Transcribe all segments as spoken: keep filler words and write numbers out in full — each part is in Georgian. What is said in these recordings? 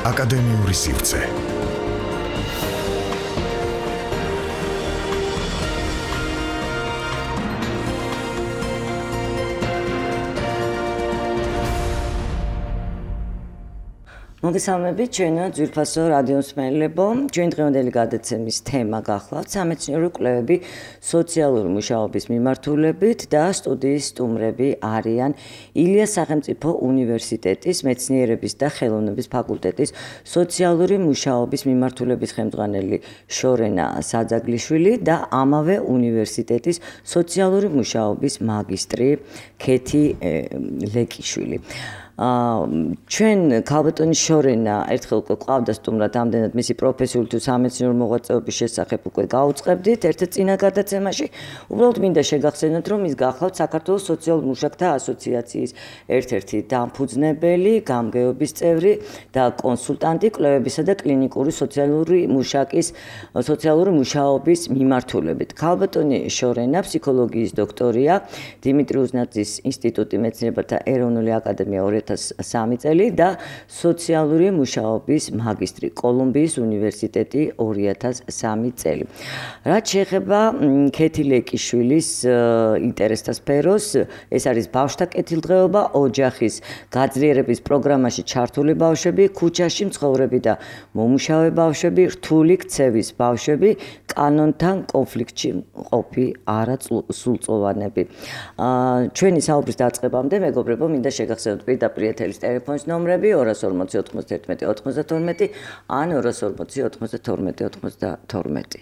აკადემიური სივრცე. მოგესალმებით, ჩვენო ძვირფასო რადიო მსმენელებო. ჩვენ დღევანდელი გადაცემის თემა გახლავთ სამეცნიერო კვლევები სოციალური მუშაობის მიმართულებით და სტუდიის სტუმრები არიან ილიას სახელმწიფო უნივერსიტეტის მეცნიერების და ხელოვნების ფაკულტეტის სოციალური მუშაობის მიმართულების ხელმძღვანელი შორენა საძაგლიშვილი და ამავე უნივერსიტეტის სოციალური მუშაობის მაგისტრი ქეთი ლეკიშვილი. ჩვენ ქალბატონი შორენა ერთხელ უკვე ყავდა სტუმრად, ამდენად მისი პროფესიული თუ სამეცნიერო მოღვაწეობის შესახებ უკვე გაუწყებდით ერთ-ერთ წინა გადაცემაში. უბრალოდ მინდა შეგახსენოთ, რომ ის გახლავთ საქართველოს სოციალურ მუშაკთა ასოციაციის ერთ-ერთი დამფუძნებელი, გამგეობის წევრი და კონსულტანტი კვლევებისა და კლინიკური სოციალური მუშაკის სოციალური მუშაობის მიმართულებით. ქალბატონი შორენა ფსიქოლოგიის დოქტორია დიმიტრი უზნაძის ინსტიტუტი მეცნიერებათა ეროვნული აკადემია ორი ათას სამი წელი და სოციალური მუშაობის მაგისტრი კოლუმბიის უნივერსიტეტი ორი ათას სამი წელი. რაც შეეხება ქეთი ლეკიშვილის ინტერესთა სფეროს, ეს არის ბავშვთა კეთილდღეობა, ოჯახის გაძლიერების პროგრამაში ჩართული ბავშვები, ქუჩაში მცხოვრები და მომუშავე ბავშვები, რთული ქცევის ბავშვები, კანონთან კონფლიქტში მყოფი არასრულწლოვანები. ჩვენი საუბრის დაწყებამდე მეგობრებო, მინდა შეგახსენოთ პირდაპირ ეთერის ტელეფონის ნომრები ორას ორმოცი ოთხმოცდაერთმეტი ოცდათორმეტი ან ორას ორმოცი ოცდათორმეტი ოცდათორმეტი.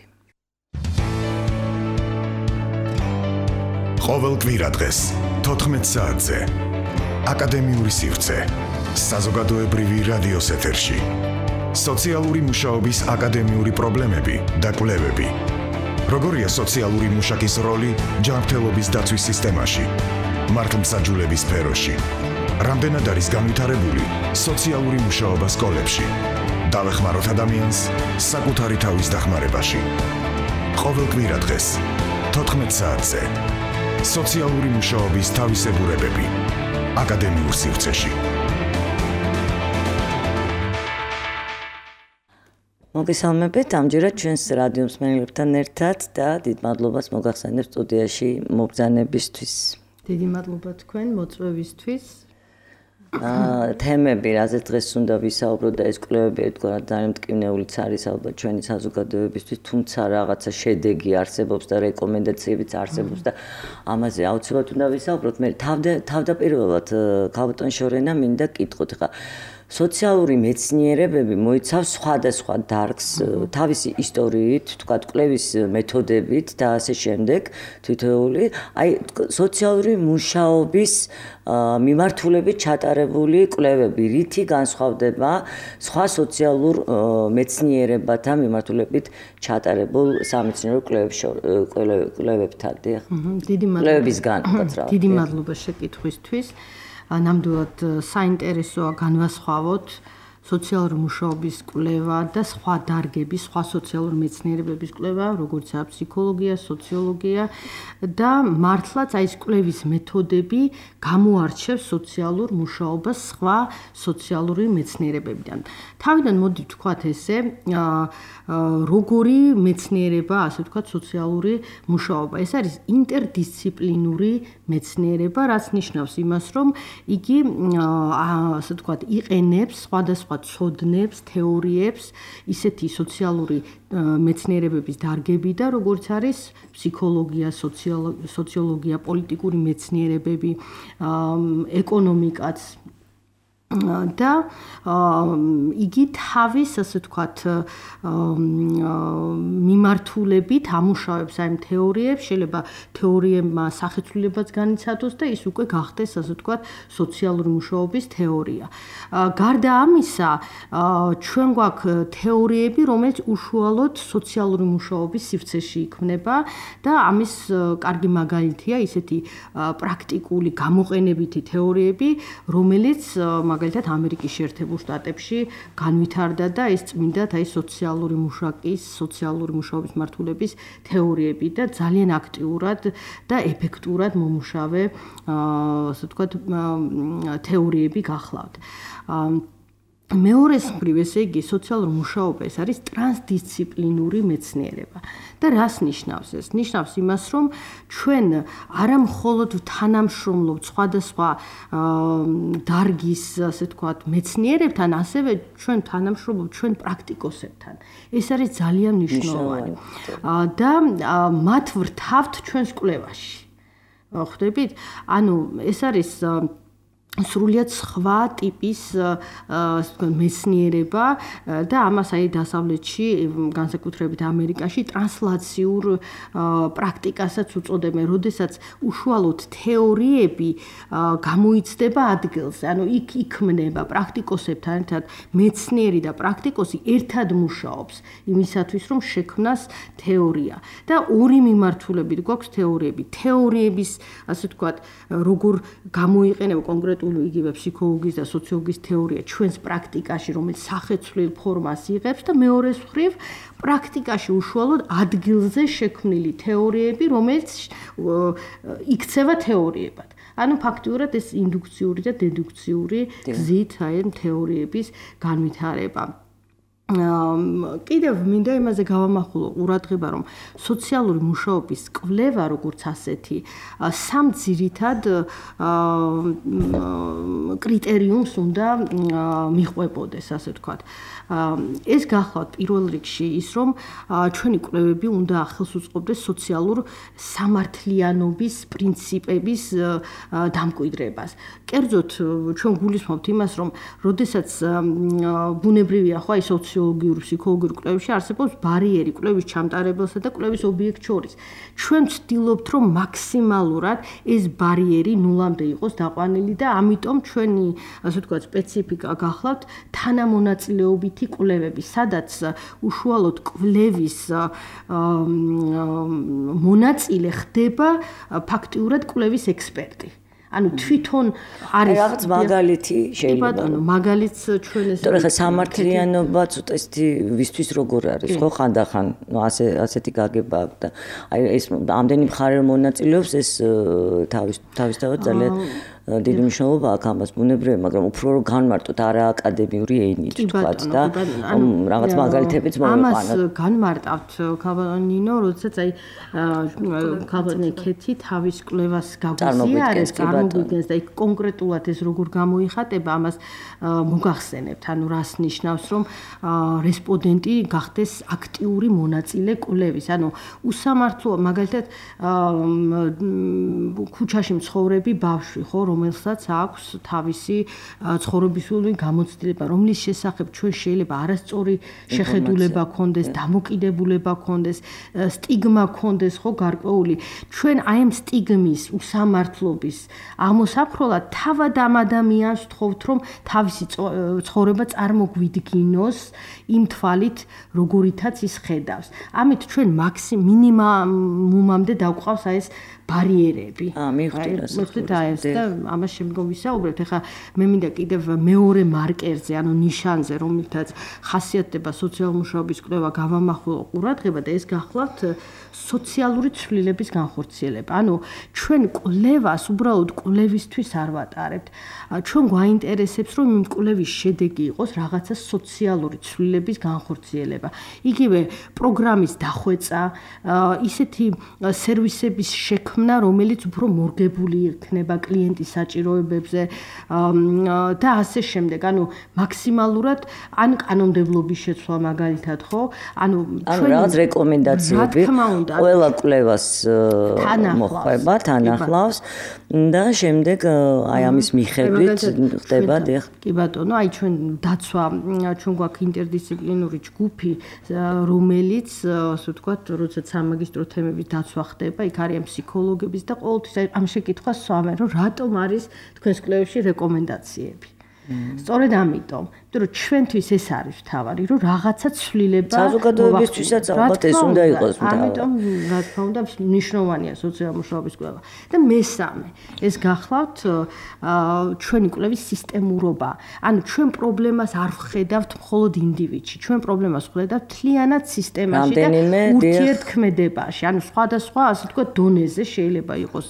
ყოველ კვირადღეს თოთხმეტ საათზე აკადემიური სივრცე საზოგადოებრივი რადიოს ეთერში. სოციალური მუშაობის აკადემიური პრობლემები და კვლევები. როგორია სოციალური მუშაკის როლი ჯანმრთელობის დაცვის სისტემაში, მართლმსაჯულების სფეროში. რამდენად არის განვითარებული სოციალური მუშაობა სკოლებში. დავეხმაროთ ადამიანს საკუთარი თავის დახმარებაში. ყოველ კვირადღეს თოთხმეტ საათზე სოციალური მუშაობის თავისებურებები აკადემიურ სივრცეში. მოგესალმებით, ამჯერად ჩვენს რადიო მსმენელებთან ერთად და დიდ მადლობას მოგახსენებ სტუდიაში მობრძანებისთვის. დიდი მადლობა თქვენ მოწვევისთვის. თემები, რაზეც დღეს უნდა ვისაუბროთ და ეს კვლევები ერთგვარად ძალიან მტკივნეულიც არის ალბათ ჩვენი საზოგადოებისთვის, თუმცა რაღაცა შედეგი არსებობს და რეკომენდაციებიც არსებობს და ამაზე აუცილებლად უნდა ვისაუბროთ. მე თავდაპირველად ქალბატონ შორენა მინდა კითხოთ, ხა სოციალური მეცნიერებები მოიცავს სხვადასხვა დარგს თავისი ისტორიით, თქვათ კვლევის მეთოდებით და ასე შემდეგ, თითოეული, აი სოციალური მუშაობის მიმართულებით ჩატარებული კვლევები, რითი განსხვავდება სხვა სოციალურ მეცნიერებათა მიმართულებით ჩატარებულ სამეცნიერო კვლევებთან. დიდი კვლევებისგან, უკაცრავად. დიდი მადლობა შეკითხვისთვის. ნამდვილად საინტერესოა განვასხვავოთ სოციალური მუშაობის კვლევა და სხვა დარგების, სხვა სოციალური მეცნიერებების კვლევა, როგორიცაა ფსიქოლოგია, სოციოლოგია და მართლაც აი ეს კვლევის მეთოდები გამოარჩევს სოციალურ მუშაობას სხვა სოციალური მეცნიერებებიდან. თავიდან მოდი ვთქვათ ესე, როგორი მეცნიერება, ასე ვთქვათ, სოციალური მუშაობა. ეს არის ინტერდისციპლინური მეცნიერება, რაც ნიშნავს იმას, რომ იგი ასე ვთქვათ, იყენებს სხვადასხვა ცოდნებს, თეორიებს, ისეთი სოციალური მეცნიერებების დარგებიდან, როგორც არის ფსიქოლოგია, სოციოლოგია, პოლიტიკური მეცნიერებები, ეკონომიკაც და იგი თავის, ასე ვთქვათ, მიმართულებით ამუშავებს აი თეორიებს, შეიძლება თეორიებმა სახეცვლილებაც განიცადოს და ის უკვე გახდეს, ასე ვთქვათ, სოციალური მუშაობის თეორია. გარდა ამისა, ჩვენ გვაქვს თეორიები, რომელიც უშუალოდ სოციალური მუშაობის სივრცეში იქმნება და ამის კარგი მაგალითია ისეთი პრაქტიკული გამოყენებითი თეორიები, რომელიც მაგალითად ამერიკის შეერთებულ შტატებში განვითარდა და ეს წმინდად აი სოციალური მუშაკის, სოციალური მუშაობის მართულების თეორიები და ძალიან აქტიურად და ეფექტურად მომუშავე, ასე ვთქვათ, თეორიები გახლავთ. მეორეს მხრივ, ესე იგი, სოციალური მუშაობა ეს არის ტრანსდისციპლინური მეცნიერება. და რას ნიშნავს ეს? ნიშნავს იმას, რომ ჩვენ არა მხოლოდ თანამშრომლობთ სხვადასხვა დარგის, ასე ვთქვათ, მეცნიერებთან, ასევე ჩვენ თანამშრომლობთ ჩვენ პრაქტიკოსებთან. ეს არის ძალიან მნიშვნელოვანი. და მათ ვრთავთ ჩვენს კვლევაში. ხვდებით? ანუ ეს არის სრულიად სხვა ტიპის მეცნიერება და ამას აი დასავლეთში, განსაკუთრებით ამერიკაში ტრანსლაციურ პრაქტიკასაც უწოდებენ, როდესაც უშუალოდ თეორიები გამოიცდება ადგილზე. ანუ იქ იქმნება პრაქტიკოსებთან ერთად მეცნიერი და პრაქტიკოსი ერთად მუშაობს იმისათვის, რომ შექმნას თეორია. და ორი მიმართულებით გვაქვს თეორიები. თეორიების, ასე ვთქვათ, როგორ გამოიყენება კონკრეტულად იგივე ფსიქოლოგიის და სოციოლოგიის თეორია ჩვენს პრაქტიკაში, რომელიც სახეცვლილ ფორმას იღებს და მეორეს მხრივ პრაქტიკაში უშუალოდ ადგილზე შექმნილი თეორიები, რომელიც იქცევა თეორიებად. ანუ ფაქტიურად ეს ინდუქციური და დედუქციური გზით აი თეორიების განვითარება. კიდევ მინდა იმაზე გავამახვილო ყურადღება, რომ სოციალური მუშაობის კვლევა როგორც ასეთი სამ ძირითად კრიტერიუმს უნდა მიყვებოდეს, ასე ვთქვათ. ეს გახლავთ პირველ რიგში ის, რომ ჩვენი კვლევები უნდა ახელს უწყობდეს სოციალურ სამართლიანობის პრინციპების დამკვიდრებას. კერძოდ ჩვენ გულისხმობთ იმას, რომ როდესაც ბუნებრივია ხო აი სოციოლოგიური, ფსიქოლოგიური კვლევებში არსებობს ბარიერი კვლევის ჩამტარებელსა და კვლევის ობიექტს შორის. ჩვენ ვცდილობთ, რომ მაქსიმალურად ეს ბარიერი ნულამდე იყოს დაყვანილი და ამიტომ ჩვენი, ასე ვთქვათ, სპეციფიკა გახლავთ თანამონაწილეობითი კვლევები, სადაც უშუალოდ კვლევის მონაწილე ხდება ფაქტიურად კვლევის ექსპერტი. ანუ თვითონ არის რაღაც მაგალითი შეიძლება. ბატონო, მაგალითს ჩვენ ეს თორე ხა სამართლიანობა ცოტა ისეთი ვისთვის როგორ არის, ხო ხანდახან, ნუ ასე ასეთი გაგება აქვს და აი ეს ამდენი მხარე მონაწილეობს, ეს თავის თავისთავად ძალიან დიდი მნიშვნელობა აქვს ამას ბუნებრივია, მაგრამ უფრო რომ განმარტოთ არა აკადემიური ენით თქვათ და რაღაც მაგალითებიც მოვიყვანოთ. ამას განმარტავთ ქალბატონინო, როდესაც აი ქალბატონი ქეთი თავის კვლევას გაგვიზიარებს, წარმოგვიდგენს და იქ კონკრეტულად ეს როგორ გამოიხატება, ამას მოგახსენებთ. ანუ რას ნიშნავს, რომ რესპონდენტი გახდეს აქტიური მონაწილე კვლევის. ანუ უსამართლო მაგალითად ქუჩაში მცხოვრები ბავშვი, ხო, რომელსაც აქვს თავისი ცხოვრებისული გამოცდილება, რომლის შესახებ ჩვენ შეიძლება არასწორი შეხედულება ქონდეს, დამოკიდებულება ქონდეს, სტიგმა ქონდეს, ხო, გარკვეული. ჩვენ აი ამ სტიგმის, უსამართლობის ამოსაფროლად თავად ამ ადამიანს ვთხოვთ, რომ თავისი ცხოვრება წარმოგვიდგინოს იმ თვალით, როგორითაც ის ხედავს. ამით ჩვენ მაქსიმ მინიმუმამდე დავყავს აი ეს ბარიერები. აა, მივხვდი რა. მივხვდით აი ეს და ამას შემდგომ ვისაუბრებთ. ეხლა მე მინდა კიდევ მეორე მარკერზე, ანუ ნიშანზე, რომელთაც ხასიათდება სოციალური მუშაობის კვლევა, გავამახვილო ყურადღება და ეს გახლავთ სოციალური ცვლილების განხორციელება. ანუ ჩვენ კვლევას უბრალოდ კვლევისთვის არ ვატარებთ. ჩვენ გვაინტერესებს, რომ იმ კვლევის შედეგი იყოს რაღაცა სოციალური ცვლილების განხორციელება. იგივე პროგრამის დახვეწა, ისეთი სერვისების შექმნა, რომელიც უფრო მორგებული იქნება კლიენტის საჭიროებებზე და ასე შემდეგ. ანუ მაქსიმალურად ან კანონმდებლობის შეცვლა მაგალითად, ხო? ანუ ჩვენ რაღაც რეკომენდაციები ყველა კვლევას მოხდება, თანახლავს და შემდეგ აი ამის მიხედვით ხდება დიახ. კი ბატონო, აი ჩვენ დაცვა, ჩვენ გვაქვს ინტერდისციპლინური ჯგუფი, რომელიც ასე ვთქვათ, როდესაც სამაგისტრო თემების დაცვა ხდება, იქ არიან ფსიქოლოგების და ყოველთვის ამ შეკითხვას სვამენ, რომ რატომ არის თქვენს კვლევებში რეკომენდაციები. სწორედ ამიტომ, რომ ჩვენთვის ეს არის თავარი, რომ რაღაცა ცვლილება საზოგადოებისთვისაც ალბათ ეს უნდა იყოს. ამიტომ რა თქმა უნდა მნიშვნელოვანია სოციალური მუშაობის კვლევა. და მესამე, ეს გახლავთ ჩვენი კვლევის სისტემურობა. ანუ ჩვენ პრობლემას არ ვხედავთ მხოლოდ ინდივიდში, ჩვენ პრობლემას ვხედავთ მთლიანად სისტემაში და ურთიერთქმედებაში. ანუ სხვადასხვა, ასე ვთქვათ, დონეზე შეიძლება იყოს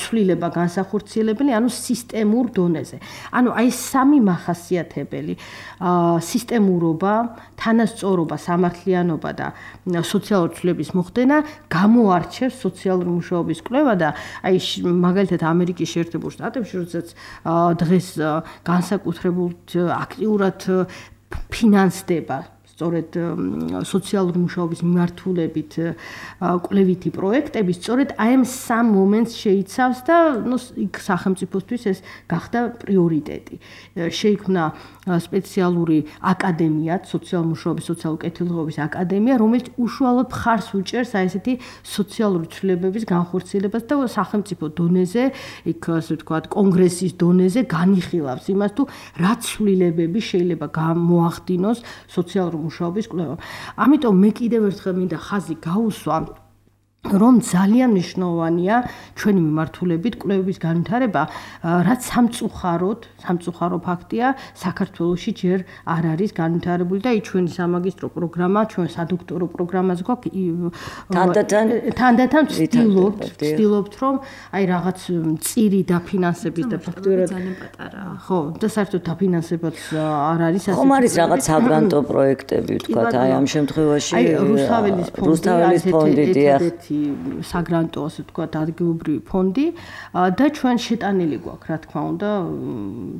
ცვლილება განსახორციელებელი, ანუ სისტემურ დონეზე. ანუ აი სამი მახასიათებელი სისტემურობა, თანასწორობა, სამართლიანობა და სოციალური ცვლილების მოხდენა გამოარჩევს სოციალური მუშაობის კვლევა და აი მაგალითად ამერიკის შეერთებულ შტატებში, როდესაც დღეს განსაკუთრებულად აქტიურად ფინანსდება სწორედ სოციალური მუშაობის მიმართულებით კვლევითი პროექტები, სწორედ აი ამ სამ მომენტს შეიცავს და ნუ იქ სახელმწიფოსთვის ეს გახდა პრიორიტეტი. შეიქმნა სპეციალური აკადემია, სოციალური მუშაობის, სოციალური კეთილდღეობის აკადემია, რომელიც უშუალოდ მხარს უჭერს აი ესეთი სოციალური ცვლილებების განხორციელებას და სახელმწიფო დონეზე, იქ ასე ვთქვათ, კონგრესის დონეზე განიხილავს იმას, თუ რა ცვლილებები შეიძლება გამოახდინოს სოციალური მუშაობის კვლევა. ამიტომ მე კიდევ ერთხელ მინდა ხაზი გაუსვა, რომ ძალიან მნიშვნელოვანია ჩვენი მიმართულებით კვლევების განვითარება, რაც სამწუხაროდ, სამწუხარო ფაქტია, საქართველოში ჯერ არ არის განვითარებული და ჩვენი სამაგისტრო პროგრამა, ჩვენ სადოქტორო პროგრამას გვაქვს თანდათან თანდათან ვცდილობთ, ვცდილობთ, რომ აი რაღაც მწირი დაფინანსების და ფაქტობრივად ძალიან პატარაა. ხო, და საერთოდ დაფინანსებაც არ არის ასე. ხომ არის რაღაც საგრანტო პროექტები, ვთქვათ, აი ამ შემთხვევაში აი რუსთაველის ფონდი, რუსთაველის ფონდი დიახ. საგრანტო ასე ვთქვათ ადგილობრივი ფონდი და ჩვენ შეტანილი გვაქვს რა თქმა უნდა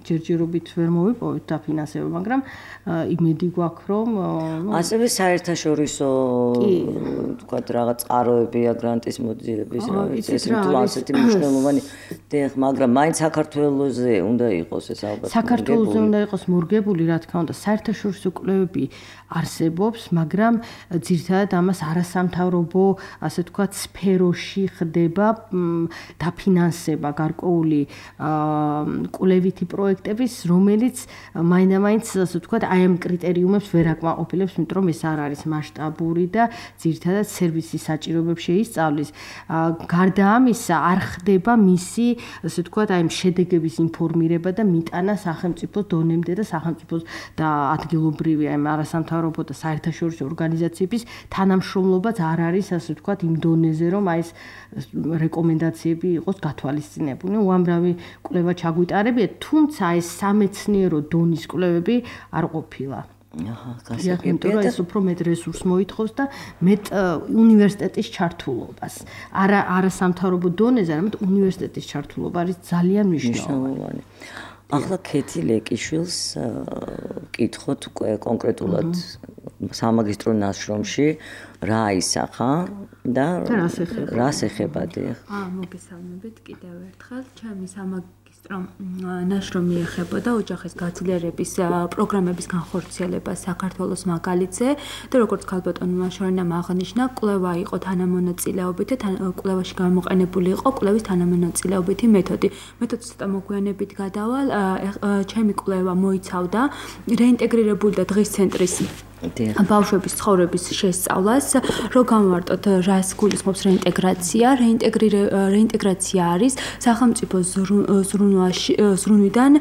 ჯერჯერობით ვერ მოვიპოვეთ დაფინანსება, მაგრამ იმედი გვაქვს რომ ასევე საერთაშორისო ვთქვათ რაღაც წყაროებია გრანტის მოძიების რა ვიცი ეს თუ ასეთი მნიშვნელოვანი დიახ, მაგრამ მაინც საქართველოზე უნდა იყოს ეს ალბათ საქართველოზე უნდა იყოს მორგებული რა თქმა უნდა საერთაშორისო კვლევები არსებობს, მაგრამ ძირითადად ამას არასამთავრობო ასე ვთქვათ სფეროში ხდება დაფინანსება გარკვეული კვლევითი პროექტების, რომელიც მაინდა-მაინც ასე ვთქვათ აი ამ კრიტერიუმებს ვერ აკმაყოფილებს, იმიტომ რომ ეს არ არის მასშტაბური და ძირითადად სერვისის საჭიროებებს შეისწავლის. გარდა ამისა არ ხდება მისი ასე ვთქვათ აი ამ შედეგების ინფორმირება და მიტანა სახელმწიფოს დონემდე და სახელმწიფოს და ადგილობრივი აი არასამთავრობო და საერთაშორისო ორგანიზაციების თანამშრომლობაც არ არის ასე ვთქვათ იმ დონეზე, რომ აი ეს რეკომენდაციები იყოს გათვალისწინებული. უამრავი კვლევა ჩაგვიტარებია, თუმცა ეს სამეცნიერო დონის კვლევები არ ყოფილა. აჰა, გასაგებია და ეს უფრო მეტ რესურს მოითხოვს და მეტ უნივერსიტეტის ჩართულობას. არა არასამთავრობო დონეზე, არამედ უნივერსიტეტის ჩართულობა არის ძალიან მნიშვნელოვანი. ახლა ქეთი ლეკიშვილს კითხოთ უკვე კონკრეტულად სამაგისტრო ნაშრომში რა ისახა და რას ეხება დიახ. აა მოგესალმებით კიდევ ერთხელ. ჩემი სამაგისტრო ნაშრომი ეხებოდა ოჯახის გაძლიერების პროგრამების განხორციელებას საქართველოს მაგალითზე და როგორც ქალბატონმა შორინამ აღნიშნა, კვლევა იყო თანამონაწილეობით და კვლევაში გამოყენებული იყო კვლევის თანამონაწილეობითი მეთოდი. მეთოდს ცოტა მოგვიანებით გადავალ. ჩემი კვლევა მოიცავდა რეინტეგრირებული და დღის ცენტრის ბავშვების ცხოვრების შესწავლას, რომ გამოვარტოთ რას გულისხმობს რეინტეგრაცია. რეინტეგრაცია არის სახელმწიფო ზრუნვიდან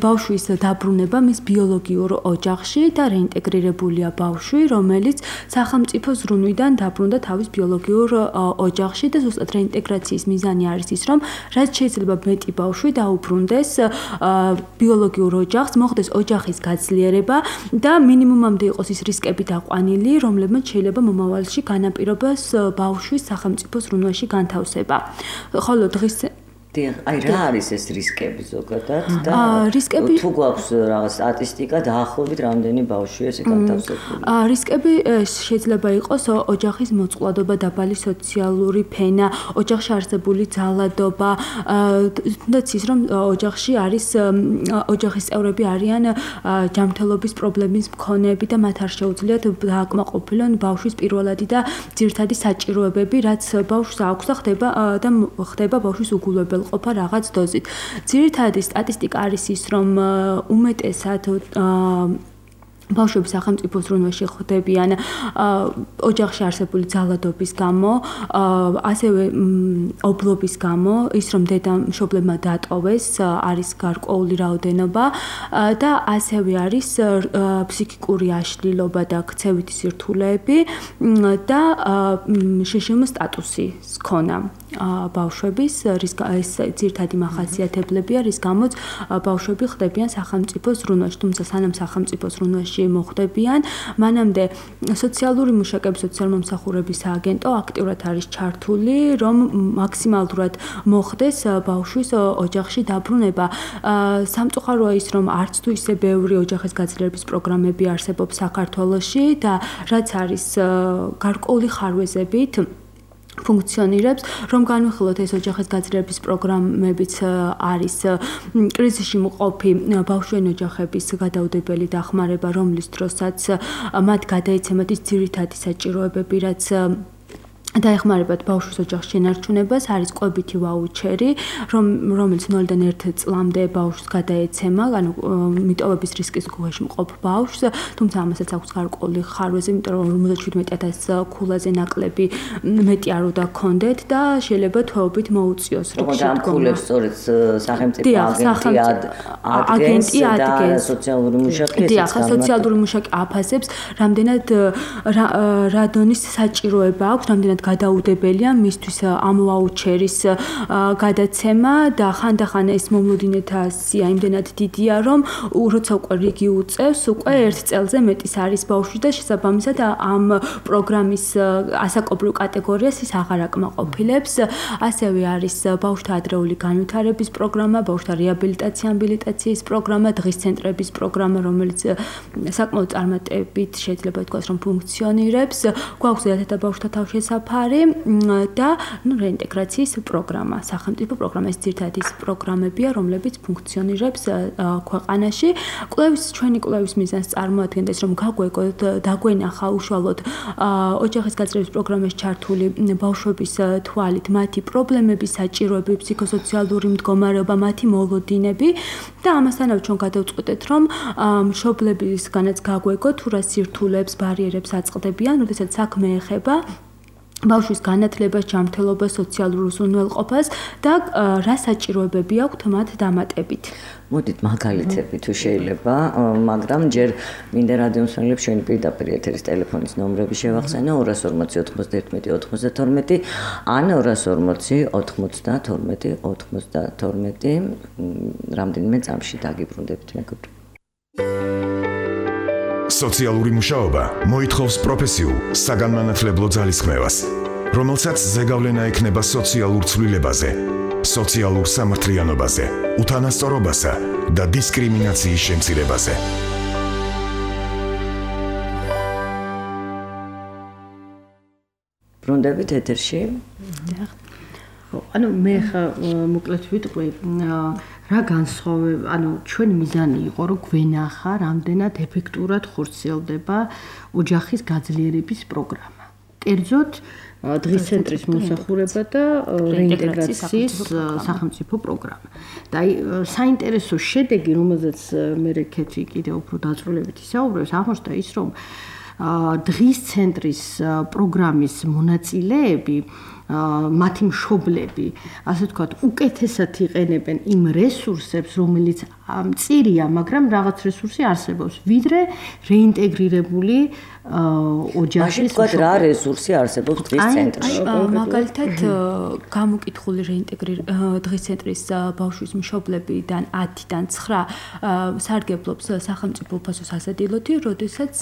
ბავშვის დაბრუნება მის ბიოლოგიურ ოჯახში და რეინტეგრირებულია ბავშვი, რომელიც სახელმწიფო ზრუნვიდან დაბრუნდა თავის ბიოლოგიურ ოჯახში და ზუსტად რეინტეგრაციის მიზანი არის ის, რომ რაც შეიძლება მეტი ბავშვი დაუბრუნდეს ბიოლოგიურ ოჯახს, მოხდეს ოჯახის გაძლიერება და მინიმუმამდე იყოს ის რისკები დაყვანილი, რომლებმაც შეიძლება მომავალში განაპირობოს ბავშვის სახელმწიფო ზრუნვაში განთავსება. ხოლო დღის აი რა არის ეს რისკები ზოგადად და რისკები თუ გვაქვს რაღაც სტატისტიკა დაახლოებით რამდენი ბავშვია ესე განთავსებული? რისკები შეიძლება იყოს ოჯახის მოწყვლადობა, დაბალი სოციალური ფენა, ოჯახში არსებული ძალადობა, თუნდაც ის რომ ოჯახში არის ოჯახის წევრები არიან ჯანმრთელობის პრობლემის მქონეები და მათ არ შეუძლიათ დააკმაყოფილონ ბავშვის პირველადი და ძირითადი საჭიროებები, რაც ბავშვს აქვს და ხდება და ხდება ბავშვის უგულებელ ყოფა რაღაც დოზით. ძირითადი სტატისტიკა არის ის, რომ უმეტესად ბავშვები სახელმწიფო ზრუნვაში ხდებიან ოჯახში არსებული ძალადობის გამო, ასევე ობლობის გამო, ის რომ დედა მშობლებმა დატოვეს, არის გარკვეული რაოდენობა და ასევე არის ფსიქიკური აშლილობა და ქცევითი სირთულეები და შშმ სტატუსის ქონა. ბავშვების, რის ეს ძირითადი მახასიათებლებია, რის გამოც ბავშვები ხდებიან სახელმწიფო ზრუნვაში, თუმცა სანამ სახელმწიფო ზრუნვაში მოხდებიან, მანამდე სოციალური მუშაკები, სოციალურ-მომსახურების სააგენტო აქტიურად არის ჩართული, რომ მაქსიმალურად მოხდეს ბავშვის ოჯახში დაბრუნება. სამწუხაროა ის, რომ არც თუ ისე ბევრი ოჯახის გაძლიერების პროგრამები არსებობს საქართველოში და რაც არის გარკვეული ხარვეზებით ფუნქციონირებს, რომ განვიხილოთ ეს ოჯახის გაძლიერების პროგრამებიც არის კრიზისში მყოფი ბავშვიანი ოჯახების გადაუდებელი დახმარება, რომლის დროსაც მათ გადაიცემათ ის ძირითადი საჭიროებები, რაც დაეხმარებათ ბავშვის ოჯახის შენარჩუნებას, არის კვებითი ვაუჩერი, რომ რომელიც ნულიდან ერთი წლამდე ბავშვს გადაეცემა, ანუ მიტოვების რისკის ქვეშ მყოფ ბავშვს, თუმცა ამასაც აქვს გარკვეული ხარვეზი, იმიტომ რომ ორმოცდაშვიდმეტი ათასი ქულაზე ნაკლები მეტი არ უნდა ქონდეთ და შეიძლება თვეობით მოუწიოს რიგში დგომა. ამხულებს სწორედ სახელმწიფო აგენტი და სოციალური მუშაკი ესეც განმარტება. სოციალური მუშაკი აფასებს, რამდენად რა დონის საჭიროება აქვს, რამდენად გადაუდებელია მისთვის ამ ვაუჩერის გადაცემა და ხანდახან ეს მომლოდინეთა სია იმდენად დიდია, რომ როცა უკვე რიგი უწევს, უკვე ერთ წელზე მეტის არის ბავშვი და შესაბამისად ამ პროგრამის ასაკობრივ კატეგორიას ის აღარ აკმაყოფილებს. ასევე არის ბავშვთა ადრეული განვითარების პროგრამა, ბავშვთა რეაბილიტაცია, ამბილიტაციის პროგრამა, დღის ცენტრების პროგრამა, რომელიც საკმაოდ წარმატებით შეიძლება ითქვას, რომ ფუნქციონირებს. გვაქვს ზედათა ბავშვთა თავშესაფარი და ნუ რეინტეგრაციის პროგრამა, სახელმწიფო პროგრამა, ეს ძირითადად ის პროგრამებია, რომლებიც ფუნქციონირებს ქვეყანაში. კვლევის ჩვენი კვლევის მიზანს წარმოადგენდა ის, რომ გაგვეგოთ, დაგვენახა უშუალოდ ოჯახის გაძლიერების პროგრამაში ჩართული ბავშვების თვალით მათი პრობლემები, საჭიროებები, ფსიქოსოციალური მდგომარეობა, მათი მოლოდინები და ამასთანავე ჩვენ გადავწყვეტეთ, რომ მშობლებისგანაც გაგვეგოთ, თუ რა სირთულეებს, ბარიერებს აწყდებიან, როდესაც საქმე ეხება ბავშვის განათლებას, ჯანმრთელობას, სოციალურ უზრუნველყოფას და რა საჭიროებები აქვთ მათ დამატებით. მოდით მაგალითები თუ შეიძლება, მაგრამ ჯერ მინდა რადიომსმენელებს ჩვენი პირდაპირ ეთერის ტელეფონის ნომრები შევახსენო ორას ორმოცი ოცდაერთმეტი ოცდათორმეტი ან ორას ორმოცი ოცდათორმეტი ოცდათორმეტი რამდენიმე წამში დაგიბრუნდებით მეგობრებო. სოციალური მუშაობა მოითხოვს პროფესიულ, საგანმანათლებლო ძალისხმევას, რომელსაც ზეგავლენა ექნება სოციალურ ცვლილებაზე, სოციალურ სამართლიანობაზე, უთანასწორობასა და დისკრიმინაციის შემცირებაზე. ბრუნდებით ეთერში. ანუ მე ხა მოკლედ ვიტყვი რა განსხვავება, ანუ ჩვენი მიზანი იყო, რომ გვენახა, რამდენად ეფექტურად ხორციელდება ოჯახის გაძლიერების პროგრამა. კერძოდ, დღის ცენტრის მოსახურება და რეინტეგრაციის სახელმწიფო პროგრამა. და აი საინტერესო შედეგი, რომელზეც მე რეკეთი კიდევ უფრო დაწვრილებით ისაუბრებს, აღმოჩნდა ის, რომ დღის centris პროგრამის მონაწილეები მათი მშობლები, ასე ვთქვათ, უკეთესად იყენებენ იმ რესურსებს, რომელიც მწირია, მაგრამ რაღაც რესურსი არსებობს, ვიდრე რეინტეგრირებული ოჯახის ვთქვათ, რა რესურსი არსებობს დღის ცენტრში. მაგალითად, გამოკითხული რეინტეგრირ დღის ცენტრის ბავშვის მშობლებიდან ათიდან ცხრა სარგებლობს სახელმწიფო უფასო სასადილოთი, როდესაც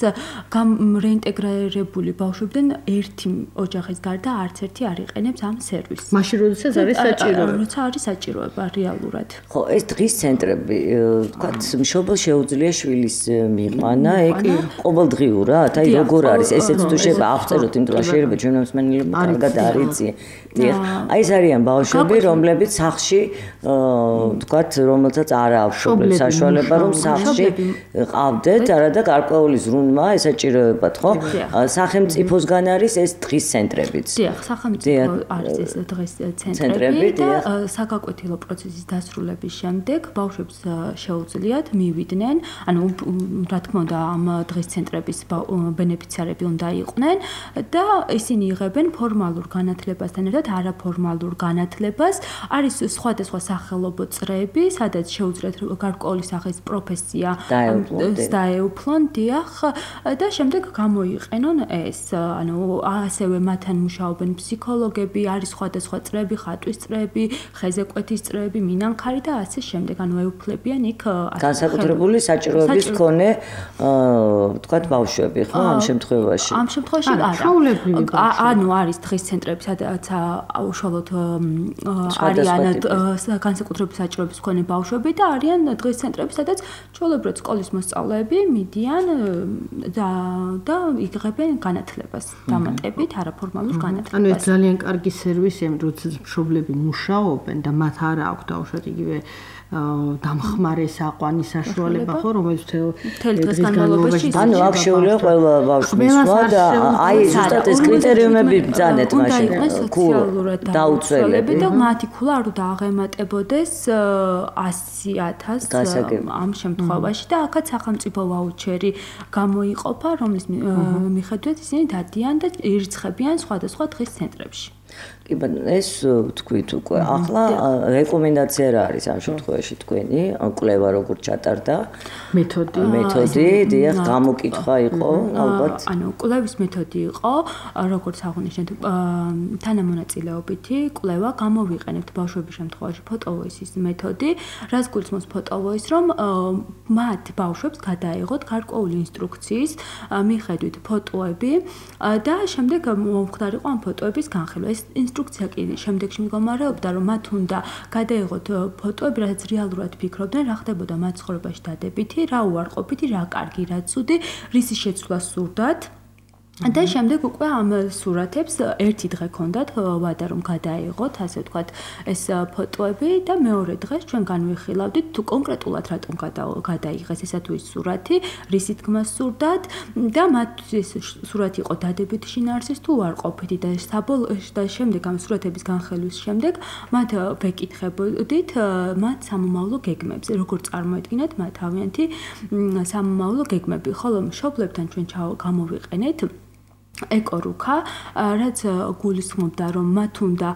რეინტეგრირებული ბავშვებიდან ერთი ოჯახის გარდა არც ერთი არ იყენებს ამ სერვისს. მაშინ როდესაც არის საჭიროება. როცა არის საჭიროება რეალურად. ხო, ეს დღის ცენტრები, ვთქვათ, მშობელს შეუძლია შვილის მიყვანა, ეგ ყოველდღიურად, აი როგორ არის, ესეც თუ შეიძლება აღწეროთ, იმიტომ რომ შეიძლება ჩვენ მსმენელებმა კარგად არ იციან. აი ეს არიან ბავშვები, რომლებიც სახლში, ვთქვათ, რომელსაც არ აქვს მშობლების საშუალება, რომ სახლში ყავდეთ, არადა გარკვეული ზრუნვა, ესაჭიროებათ, ხო? სახელმწიფოსგან არის ეს დღის ცენტრებიც. დიახ, სახელმწიფო არის ეს დღის ცენტრები და საგაკვეთილო პროცესის დასრულების შემდეგ ბავშვებს შეუძლიათ მივიდნენ, ანუ რა თქმა უნდა ამ დღის ცენტრების ბენეფიციარები უნდა იყვნენ და ისინი იღებენ ფორმალურ განათლებასთან ერთად არაფორმალურ განათლებას. არის სხვადასხვა სახელობო წრეები, სადაც შეუძლიათ გარკვეული სახის პროფესია დაეუფლონ, დიახ, და შემდეგ გამოიყენონ ეს, ანუ ასევე მათთან მუშაობენ ფსიქოლოგი პსიქოლოგები, არის სხვადასხვა წრეები, ხატვის წრეები, ხეზეკვეთის წრეები, მინანქარი და ასე შემდეგ. ანუ ეუფლებიან იქ განსაკუთრებული საჭიროების მქონე ვთქვათ ბავშვები, ხო, ამ შემთხვევაში. ამ შემთხვევაში არა. ანუ არის დღის ცენტრები, სადაც უშუალოდ არიან განსაკუთრებული საჭიროების მქონე ბავშვები და არიან დღის ცენტრები, სადაც ჩვეულებრივ სკოლის მოსწავლეები მიდიან და და იღებენ განათლებას, დამატებით არაფორმალურ განათლებას. ანუ ეს ძალიან კარგი სერვისია, როცა მშობლები მუშაობენ და მათ არ აქვს დაუშვათ იგივე დამხმარე საყვანი საშუალება, ხო, რომელიც მთელი დღის განმავლობაში ანუ აქ შეუძლია ყველა ბავშვს და აი ზუსტად ეს კრიტერიუმები ბრძანეთ მაშინ დაუცველები და მათი ქულა არ უნდა აღემატებოდეს ასი ათასს ამ შემთხვევაში და აქაც სახელმწიფო ვაუჩერი გამოიყოფა, რომლის მიხედვით ისინი დადიან და ირიცხებიან სხვადასხვა დღის ცენტრებში. კი ბატონო, ეს თქვით უკვე. ახლა რეკომენდაცია რა არის ამ შემთხვევაში თქვენი? კვლევა როგორ ჩატარდა? მეთოდი. მეთოდი, დიახ, გამოკითხვა იყო, ალბათ. ანუ კვლევის მეთოდი იყო, როგორც აღნიშნეთ, თანამონაწილეობითი კვლევა, გამოვიყენებთ ბავშვების შემთხვევაში ფოტოვოისის მეთოდი, რაც გულისხმობს ფოტოვოისს, რომ მათ ბავშვებს გადაეღოთ გარკვეული ინსტრუქციის მიხედვით ფოტოები და შემდეგ მომხდარიყო ამ ფოტოების განხილვა. ეს ინსტრუქცია კი შემდეგში მდგომარეობდა, რომ მათ უნდა გადაეღოთ ფოტოები, რაც რეალურად ფიქრობდნენ, რა ხდებოდა მათ ცხოვრებაში დადებითი, რა უარყოფითი, რა კარგი, რა ცუდი, რისი შეცვლა სურდათ. და შემდეგ უკვე ამ სურათებს ერთი დღე ქონდათ ვადა რომ გადაეღოთ, ასე ვთქვათ, ეს ფოტოები და მეორე დღეს ჩვენ განვიხილავდით თუ კონკრეტულად რატომ გადაიღეს ესა თუ ის სურათი, რისი თქმა სურდათ და მათ ეს სურათი იყო დადებითი შინაარსის თუ უარყოფითი და და შემდეგ ამ სურათების განხილვის შემდეგ მათ ვეკითხებოდით მათ სამომავლო გეგმებზე, როგორ წარმოედგინათ მათ თავიანთი სამომავლო გეგმები, ხოლო მშობლებთან ჩვენ გამოვიყენეთ ეკორუქა, რაც გულისხმობდა, რომ მათ უნდა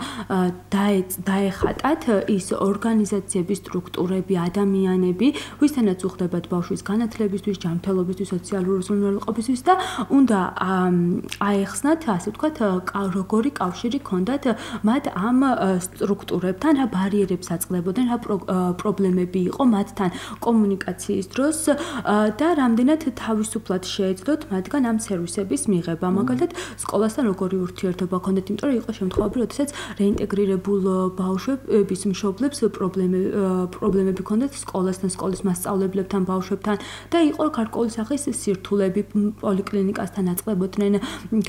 დაეხატათ ის ორგანიზაციების სტრუქტურები, ადამიანები, ვისთანაც უხდებათ ბავშვის განათლებისთვის, ჯანმრთელობისთვის, სოციალური უზრუნველყოფისთვის და უნდა აეხსნათ, ასე ვთქვათ, როგორი კავშირი ჰქონდათ მათ ამ სტრუქტურებთან, რა ბარიერებს აწყდებოდნენ, რა პრობლემები იყო მათთან კომუნიკაციის დროს და რამდენად თავისუფლად შეეძლოთ მათგან ამ სერვისების მიღება. მაგალითად, სკოლასთან როგორი ურთიერთობა ჰქონდათ, იმიტომ რომ იყო შემთხვევები, როდესაც რეინტეგრირებულ ბავშვების მშობლებს პრობლემები ჰქონდათ სკოლასთან, სკოლის მასწავლებლებთან, ბავშვებთან და იყო გარკვეული სახის სირთულეები, პოლიკლინიკასთან აწყდებოდნენ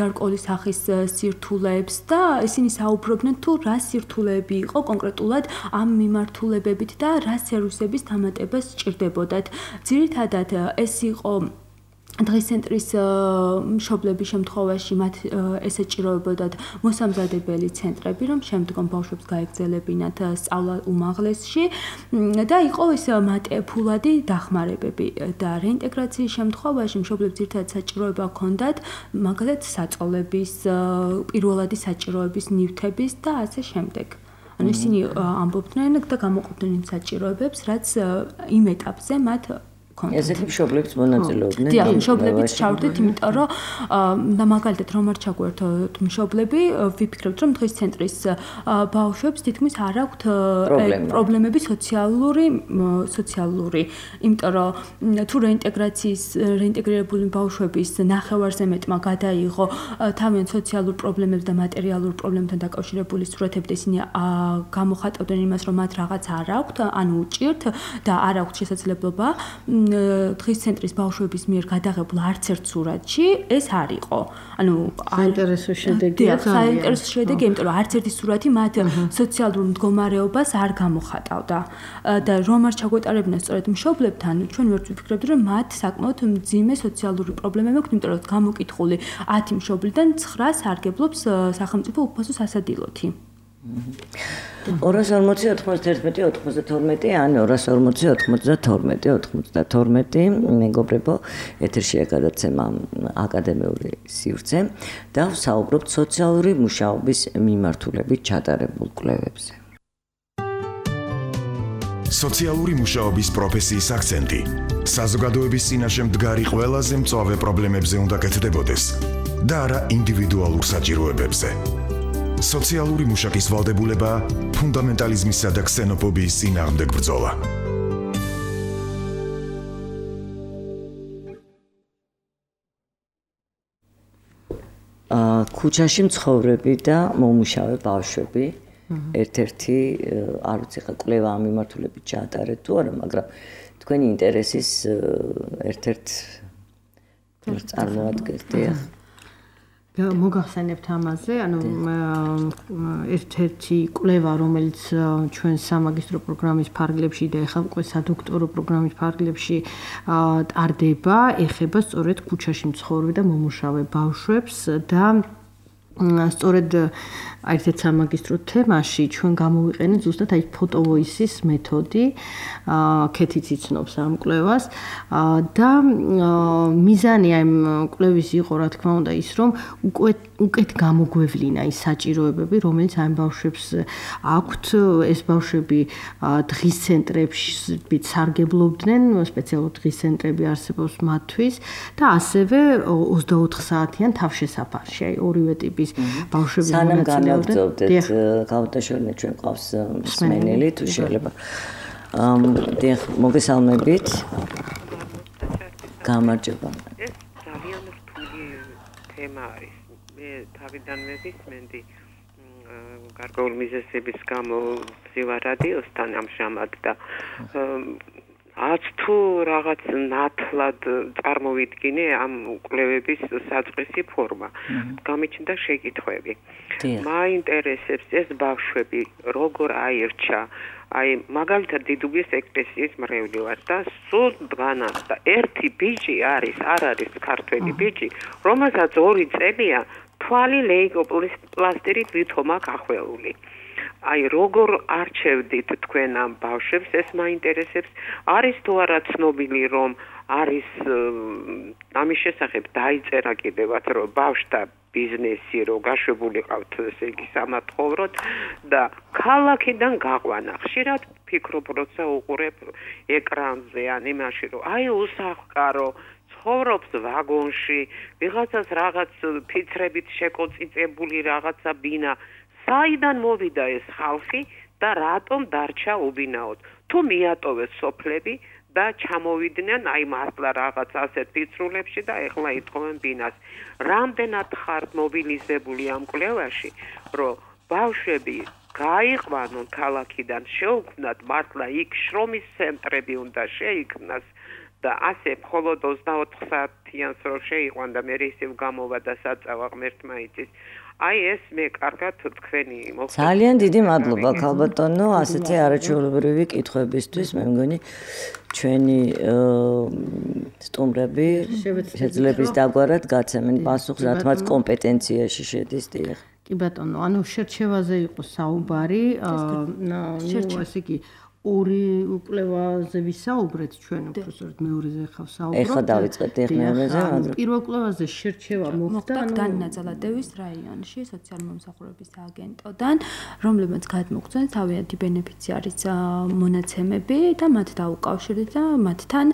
გარკვეული სახის სირთულეებს და ისინი საუბრობდნენ თუ რა სირთულეები იყო კონკრეტულად ამ მიმართულებებით და რა სერვისების დამატებას სჭირდებოდათ. ძირითადად ეს იყო დღის ცენტრის მშობლების შემთხვევაში მათ ესეჭიროებოდათ მოსამზადებელი ცენტრები, რომ შემდგომ ბავშვებს გაეგზელებინათ სწავლა უმაღლესში და იყო ეს მატებულადი დახმარებები და რეინტეგრაციის შემთხვევაში მშობლებს ერთად საჭიროება ჰქონდათ მაგალითად საწოლების, პირველადი საჭიროების ნივთების და ასე შემდეგ. ანუ ისინი ამბობდნენ და გამოყოფდნენ იმ საჭიროებებს, რაც იმ ეტაპზე მათ ესეთი მშობლებს მონაწილეობდნენ. დიახ, მშობლებიც ჩავდით, იმიტომ რომ და მაგალითად რომ არ ჩაგვერთოთ მშობლები, ვიფიქრებთ რომ დღის ცენტრის ბავშვებს თითქმის არ აქვთ პრობლემები სოციალური სოციალური, იმიტომ რომ თუ რეინტეგრაციის რეინტეგრირებული ბავშვების ნახევარზე მეტმა გადაიღო თავიანთ სოციალურ პრობლემებს და მატერიალურ პრობლემებთან დაკავშირებული სურათები და ისინი გამოხატავდნენ იმას, რომ მათ რაღაც არ აქვთ, ანუ უჭირთ და არ აქვთ შესაძლებლობა დღის ცენტრის ბავშვების მიერ გადაღებულ არც ერთ სურათში ეს არ იყო. ანუ საინტერესო შედეგია. საინტერესო შედეგია, იმიტომ რომ არც ერთი სურათი მათ სოციალურ მდგომარეობას არ გამოხატავდა. და რომ არ ჩაგვეტარებინა სწორედ მშობლებთან, ჩვენ ვერც ვიფიქრებდი, რომ მათ საკმაოდ მძიმე სოციალური პრობლემები აქვს, იმიტომ რომ გამოკითხული ათი მშობლიდან ცხრას სარგებლობს სახელმწიფო უფასო სასადილოთი. ორას ორმოცი ოთხმოცდაერთმეტი ოთხმოცდათორმეტი ან ორას ორმოცი ოთხმოცდათორმეტი ოცდათორმეტი მეგობრებო, ეთერშია გადაცემა აკადემიური სივრცე და ვსაუბრობთ სოციალური მუშაობის მიმართულებით ჩატარებულ კვლევებზე. სოციალური მუშაობის პროფესიის აქცენტი საზოგადოების წინაშე მდგარი ყველაზე მწვავე პრობლემებზე უნდა კეთდებოდეს და არა ინდივიდუალურ საჭიროებებზე. სოციალური მუშაკის ვალდებულება, ფუნდამენტალიზმისა და ქსენოფობიის წინააღმდეგ ბრძოლა. ქუჩაში მცხოვრები და მომუშავე ბავშვები ერთ-ერთი არ ვიცი ხა კვლევა ამ მიმართულებით ჩაატარეთ თუ არა, მაგრამ თქვენი ინტერესის ერთ-ერთ წარმოადგენთ. მოგახსენებთ ამაზე, ანუ ერთ-ერთი კვლევა, რომელიც ჩვენ სამაგისტრო პროგრამის ფარგლებში და ეხლა უკვე სადოქტორო პროგრამის ფარგლებში ტარდება, ეხება სწორედ ქუჩაში მცხოვრები და მომუშავე ბავშვებს და სწორედ ერთ-ერთ სამაგისტრო თემაში ჩვენ გამოვიყენეთ ზუსტად აი ფოტოვოისის მეთოდი, ქეთიც იცნობს ამ კვლევას და მიზანი ამ კვლევის იყო, რა თქმა უნდა, ის რომ უკვე უკეთ გამოგვევლინა ის საჭიროებები, რომელიც ამ ბავშვებს აქვთ, ეს ბავშვები დღის ცენტრებში სარგებლობდნენ, სპეციალურ დღის ცენტრები არსებობს მათთვის და ასევე ოცდაოთხ საათიან თავშესაფარში, აი ორივე ტიპის ბავშვები მონაწილეობდნენ. გამოგზავნეთ გავუტაშორნეთ ჩვენ ყავს მსმენელი თუ შეიძლება. დიახ, მოგესალმებით. გამარჯობა. ეს ძალიან რთული თემა არის. მე თავიდანვე ვისმენდი გარკვეული მიზეზების გამო ვზივარ რადიოსთან ამჟამად და ათ თუ რაღაც ნათლად წარმოვიდგინე ამ კვლევების საწყისი ფორმა. გამიჩნდა შეკითხვები. მაინტერესებს ეს ბავშვები როგორ აირჩა, აი მაგალითად დიდუბის ეკლესიის მრევლი ვარ და სულ დგანას და ერთი ბიჭი არის, არ არის ქართველი ბიჭი, რომელსაც ორი წელია თვალი ლეიკოპლასტირით ვითომა გახვეული. აი როგორ არჩევდით თქვენ ამ ბავშვებს, ეს მაინტერესებს. არის თუ არა ცნობილი, რომ არის ამის შესახებ დაიწერა კიდევაც, რომ ბავშვთა ბიზნესი რო გაშვებული ყავთ, ესე იგი სამათხოვროთ და ქალაქიდან გაყვანა. ხშირად ფიქრობ, როცა უყურებ ეკრანზე ან იმაში, რომ აი უსახკარო ცხოვრობს ვაგონში, ვიღაცას რაღაც ფიცრებით შეკოწიწებული რაღაცა ბინა. საიდან მოვიდა ეს ხალხი და რატომ დარჩა უბინაოდ? თუ მიატოვეს სოფლები და ჩამოვიდნენ აი მართლა რაღაც ასეთ ფიცრულებში და ეხლა ითხოვენ ბინას. რამდენად ხართ მობილიზებული ამ კვლევაში, რომ ბავშვები გაიყვანონ ქალაქიდან, შეუქმნათ მართლა იქ შრომის ცენტრები უნდა შეიქმნას და ასე მხოლოდ ოცდაოთხ საათიანს რო შეიყვან და მე ისევ გამოვა და საწავა ღმერთმა იცის. აი ეს მე კარგად თქვენი მოხდა. ძალიან დიდი მადლობა ქალბატონო, ასეთი არაჩვეულებრივი კითხვებისთვის. მე მგონი ჩვენი სტუმრები შეძლებს დაგვარად გაცემენ პასუხს, რათმაც კომპეტენციაში შედის. დიახ. კი ბატონო, ანუ შერჩევაზე იყო საუბარი, ნუ ესე იგი ორი კვლევაზე ვისაუბრეთ ჩვენ, უბრალოდ მეორეზე ხავ საუბრობთ. ეხლა დავიწყეთ ეხ მეორეზე, მაგრამ პირველ კვლევაზე შერჩევა მოხდა განნაძალადევის რაიონში სოციალურ-მომსახურების აგენტოდან, რომლებიც გადმოგწვენ თავიანთი ბენეფიციარის მონაცემები და მათ დაუკავშირეთ და მათთან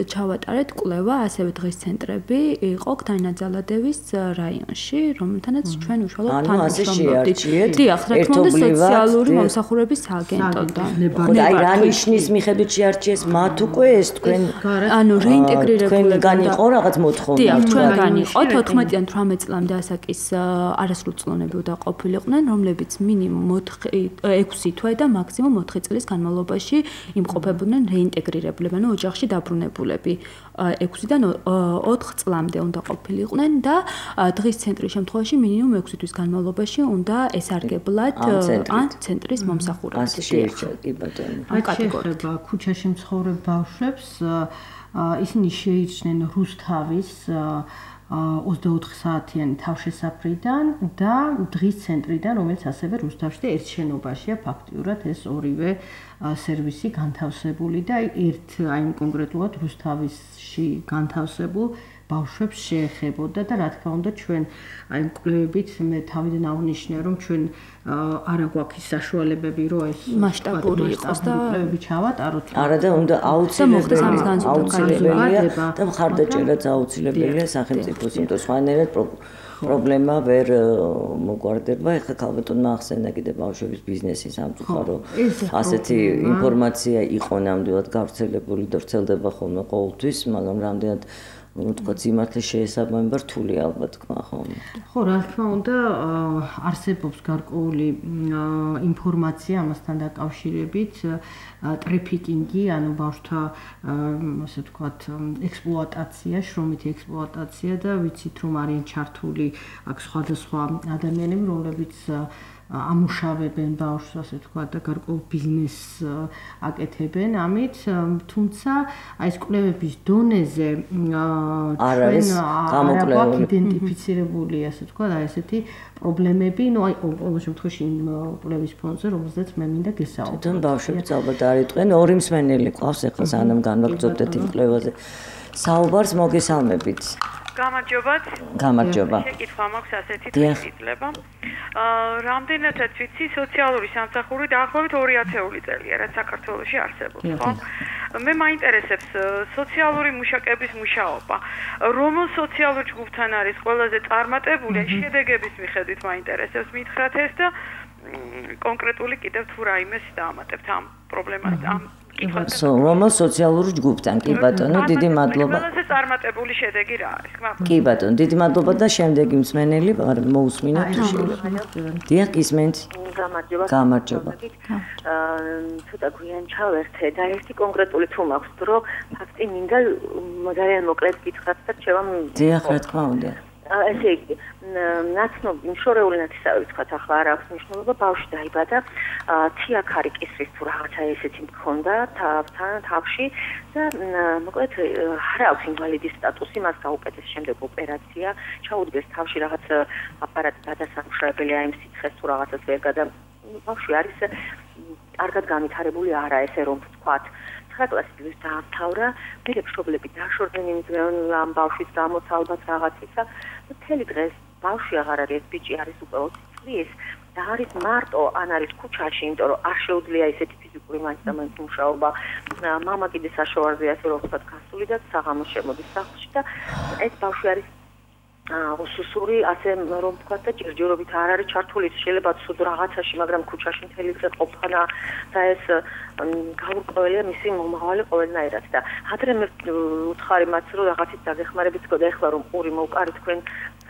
ჩავატარეთ კვლევა, ასევე დღის ცენტრები იყო განნაძალადევის რაიონში, რომელთანაც ჩვენ უშუალოდ თანამშრომლობდით. დიახ, რა თქმა უნდა, სოციალური მომსახურების აგენტოდან. რა ნიშნის მიხედვით შეარჩიეს მათ უკვე ეს თქვენ ანუ რეინტეგრირებული თქვენ იყო რაღაც მოთხოვნა. დიახ, ჩვენგან იყო თოთხმეტიდან თვრამეტ წლამდე ასაკის არასრულწლოვნები დაყოფილიყვნენ, რომლებიც მინიმუმ ექვსი თვე და მაქსიმუმ ოთხი წლის განმავლობაში იმყოფებოდნენ რეინტეგრირებულები, ანუ ოჯახში დაბრუნებულები. ექვსიდან ოთხ წლამდე უნდა ყოფილიყვნენ და დღის ცენტრის შემთხვევაში მინიმუმ ექვსი თვის განმავლობაში უნდა ესარგებლად ან ცენტრის მომსახურებით. კი ბატონო. კატეგორია ქუჩაში მცხოვრებ ბავშვებს ისინი შეიჩნენ რუსთავის ოცდაოთხ საათიანი თავშესაფრიდან და დღის ცენტრიდან, რომელიც ასევე რუსთავში და ერთ შენობაშია ფაქტიურად ეს ორივე სერვისი განთავსებული და ერთ აი კონკრეტულად რუსთავისში განთავსებულ ბავშვებს შეეხებოდა და რა თქმა უნდა ჩვენ აი კვლევებით მე თავიდან აღნიშნე რომ ჩვენ არა გვაქვს საშუალებები რომ ეს მასშტაბური იყოს და კვლევები ჩავატაროთ. არა და უნდა აუცილებელია და მხარდაჭერაც აუცილებელია სახელმწიფოს, იმიტომ სხვანაირად პრობლემა ვერ მოგვარდება. ეხლა ქალბატონმა ახსენა კიდე ბავშვების ბიზნესის სამწუხარო ასეთი ინფორმაცია იყო ნამდვილად გავრცელებული და ვრცელდება ხოლმე ყოველთვის, მაგრამ რამდენად თქვა სიმართლე შეესაბამება რთული ალბათ თქვა ხოლმე. ხო, რა თქმა უნდა, არსებობს გარკვეული ინფორმაცია ამასთან დაკავშირებით, ტრეფიკინგი, ანუ ბავშვთა ასე ვთქვათ, ექსპლუატაცია, შრომითი ექსპლუატაცია და ვიცით რომ არიან ჩართული აქ სხვადასხვა ადამიანები, რომლებიც ამუშავებენ ბავშვს, ასე ვთქვათ, და გარკვეულ ბიზნესს აკეთებენ ამით, თუმცა აი ეს კვლევების დონეზე არ არის გამოკლებული, იდენტიფიცირებული, ასე ვთქვათ, აი ესეთი პრობლემები, ну აი ყოველ შემთხვევაში კვლევის ფონზე, რომელზეც მე მინდა გესაუბროთ. თვითონ ბავშვებს ალბათ არ იტყვენ, ორი მსმენელი ყავს ახლა სანამ განვაგრძობდეთ იმ კვლევაზე. საუბარს მოგესალმებით. გამარჯობათ. გამარჯობა. შეკითხვა მაქვს ასეთი თვითიძლება. აა რამდენადაც ვიცი, სოციალური სამსახური დაახლოებით ორი ათეული წელია, რაც საქართველოში არსებობს, ხო? მე მაინტერესებს სოციალური მუშაკების მუშაობა. რომელ სოციალურ ჯგუფთან არის ყველაზე წარმატებული, შედეგების მიხედვით მაინტერესებს მითხრათ ეს და კონკრეტული კიდევ თუ რაიმეს დაამატებთ ამ პრობლემას ამ რომელ სოციალურ ჯგუფთან? კი ბატონო, დიდი მადლობა. ყველაზე წარმატებული შედეგი რა არის? კი ბატონო, დიდი მადლობა და შემდეგი მსმენელი მოусმინოთ თუ შეიძლება. დიახ, ისმენთ. გამარჯობა. გამარჯობა. აა ცოტა გვიან ჩავერთე და ერთი კონკრეტული თუ მაქვს დრო, ფაქტი მინდა ძალიან მოკლედ გითხრათ და ჩემ დიახ, რა თქმა უნდა. ესე იგი, ნაცნობი მშორეული ნათესავები თქვათ ახლა არ აქვს მნიშვნელობა, ბავშვი დაიბადა, თიაქარი კისრის თუ რაღაცა ესეთი მქონდა თავთან თავში და მოკლედ არ აქვს ინვალიდის სტატუსი, მას გაუკეთეს შემდეგ ოპერაცია, ჩაუდგეს თავში რაღაც აპარატი გადასამუშავებელი აი ამ სიცხეს თუ რაღაცას ვერ გადა. ბავშვი არის კარგად განვითარებული არა, ესე რომ ვთქვათ. კლასის დაამთავრა, მე მშობლები დაშორდნენ იმ ამ ბავშვის გამო ალბათ რაღაცისა. მთელი დღეს ბავშვი აღარ არის, ბიჭი არის უკვე ოცი წლის და არის მარტო, ან არის ქუჩაში, იმიტომ რომ არ შეუძლია ისეთი ფიზიკური მაინც მუშაობა. მამა კიდე საშოვარზე ასე რომ ვთქვათ გასული და საღამოს შემოდის სახლში და ეს ბავშვი არის უსუსური, ასე რომ ვთქვათ და ჯერჯერობით არ არის ჩართული, შეიძლება ცუდ რაღაცაში, მაგრამ ქუჩაში მთელი დღე ყოფნა და ეს გაურკვეველია მისი მომავალი ყოველნაირად და ადრე მე ვუთხარი მათ რომ რაღაცით დაგეხმარებით თქო და ეხლა რომ პური მოვკარი თქვენ